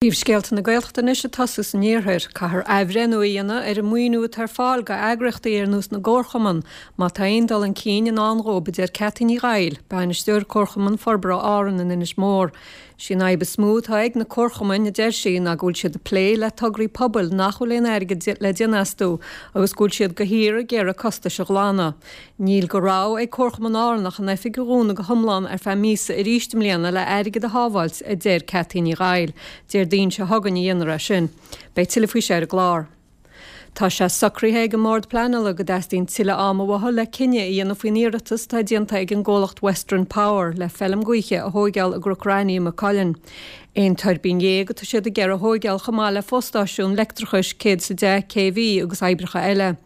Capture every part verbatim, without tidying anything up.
Príomhscéalta na Gaeltachta anois ag tosú san iarthar. Caithfear athbhreithniú a dhéanamh ar an maoiniú atá ar fáil go eagraíochtaí ar nós na gcomharchumann má tá aon dul chun cinn i ndán dhóibh, a deir Ceaití Ní Ghaill, Bainisteoir Comharchumann Forbartha Árann in Inis Mór. Sí an fhadhb is mó atá ag na comharchumainn, a deir sí, ná go bhfuil siad ag plé le tograí pobail nach bhfuil aon airgead le déanamh astu agus go bhfuil siad de shíor ag iarraidh costais a ghlanadh. Níl de rogha ag Comharchumann Árann ach an oifig a dhúnadh go hiomlán ar feadh míosa arís i mbliana le airgead a shábháilt, a deir Ceaití Ní Ghaill. Déardaoin seo chugainn a dhéanfar é sin. Beidh tuilleadh faoi seo ar an gclár. Tá sé socraithe ag an mBord Pleanála go dteastaíonn tuilleadh ama uathu le cinneadh a dhéanamh faoin iarratas atá déanta ag an gcomhlacht Western Power le feilm gaoithe a thóigeáil i gCnoc Raithní i Maigh Cuilinn. Aon tuirbín dhéag atá siad ag iarraidh a thóigeáil chomh maith le fostáisiún leictreachais céad is a deich K V agus oibreacha eile.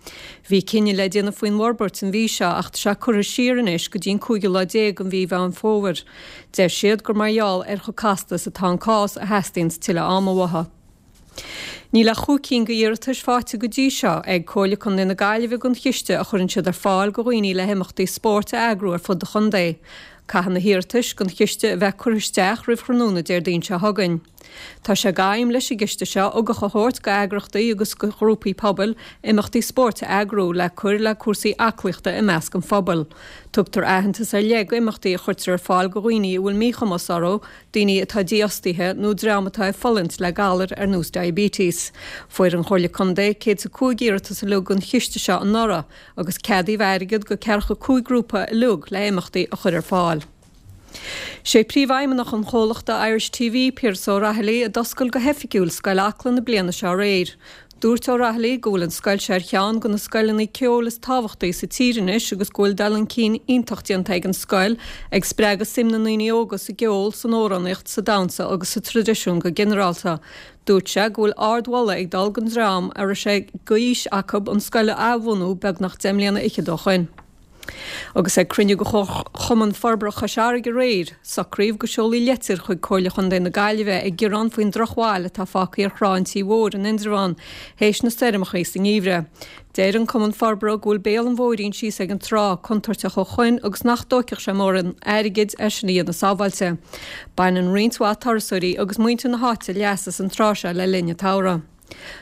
Bhí cinneadh le déanamh faoin bhforbairt an mhí seo ach tá sé curtha siar anois go dtí an cúigiú lá déag den mhí Mheán Fómhair. Deir siad gur mar gheall ar chomh casta is atá an cás a theastaíonn tuilleadh ama uathu. Níl ach chúig cinn d'iarratais faighte go dtí seo ag Comhairle Contae na Gaillimhe don chiste a chuireann siad ar fáil do dhaoine le himeachtaí spóirt a eagrú ar fud an chontae. Caithfidh na hiarratais don chiste a bheith curtha isteach roimh thráthnóna Déardaoin seo chugainn. Tá sé d'aidhm leis an gciste seo ugach a thabhairt go eagraíochtaí agus go ghrúpaí pobail imeachtaí spóirt a eagrú le cur le cúrsaí aclaíochta i measc an phobail. Tugtar aitheantas ar leith go imeachtaí a chuirtear ar fáil do dhaoine a bhfuil míchumas orthu, daoine atá dífhostaithe nó dream atá ag fulaingt le galair ar nós diabetes. Fuair an Chomhairle Contae céad a cúig iarratas uilig don chiste seo anuraidh agus ceadaíodh airgead go ceathracha cúig grúpa uilig le imeachtaí a chur ar fáil. Sé príomhfheidhmeannach an chomhlachta Irish T V Piaras Ó Raghallaigh a d'oscail go hoifigiúil Scoil Acla na bliana seo aréir. Dúirt Ó Raghallaigh go bhfuil an scoil seo ar cheann de na scoileanna ceoil is tábhachtaí sa tír anois agus go bhfuil dul chun cinn iontach déanta ag an scoil ag spreagadh suim na ndaoine óga sa gceol, san amhránaíocht, sa damhsa agus sa traidisiún go ginearálta. Dúirt sé go bhfuil ardmholadh ag dul don dream a raibh sé d'fhís acu an scoil a athbhunú beagnach deich mbliana fhichead ó shin. Agus ag cruinniú de Chumann Forbartha Chois Fharraige aréir, socraíodh go seolfaí leitir chuig Comhairle Chontae na Gaillimhe ag gearán faoin drochbhail atá fágtha ar thrá an Tí Mhóir in Indreabhán, théis na stoirmeacha sa ngeimhreadh. Deir an Cumann Forbartha go bhfuil béal an bhóithrín síos ag an trá contúirteach ó shoin agus nach dtógfadh sé mórán airgid é sin a dhéanamh sábháilte. Baineann roinnt mhaith turasóirí agus muintir na háite leas as an trá seo le linn an tsamhraidh.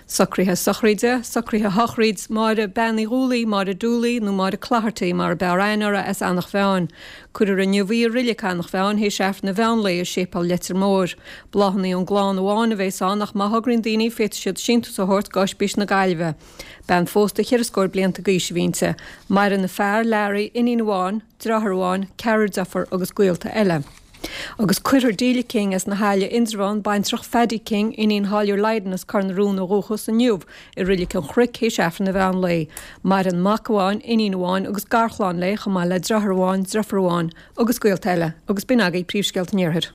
Socruithe sochraide, socruithe shochraid Máire Bean Uí Dhúlaí, Máire Dooley nó Máire Clogherty mar a b'fhearr aithne uirthi as Eanach Mheáin. Cuirfear inniu í i reilig Eanach Mheáin théis Aifreann an mheán lae i séipéal Leitir Móir. Bláthanna ón gclann amháin a bheas ann ach má thograíonn daoine féadfaidh siad síntiús a thabhairt go Ospís na Gaillimhe. Bean phósta cheithre scór blianta d'aois a bhí inti. Maireann a fear Larry, iníon amháin, deartháir amháin, ceathrar deirfiúr agus gaolta eile. Agus cuirfear Delia King as na hAille Indreabhán, baintreach Phaddy King, iníon Tháilliúir Lydon as Cor na Rún ó dhúchas inniu i reilig an Chnoic théis Aifreann an mheán lae. Maireann mac amháin, iníon amháin agus garchlann léi chomh maith le deartháir amháin, deirfiúr amháin agus gaolta eile, agus b'in agaibh príomhscéalta an iarthair.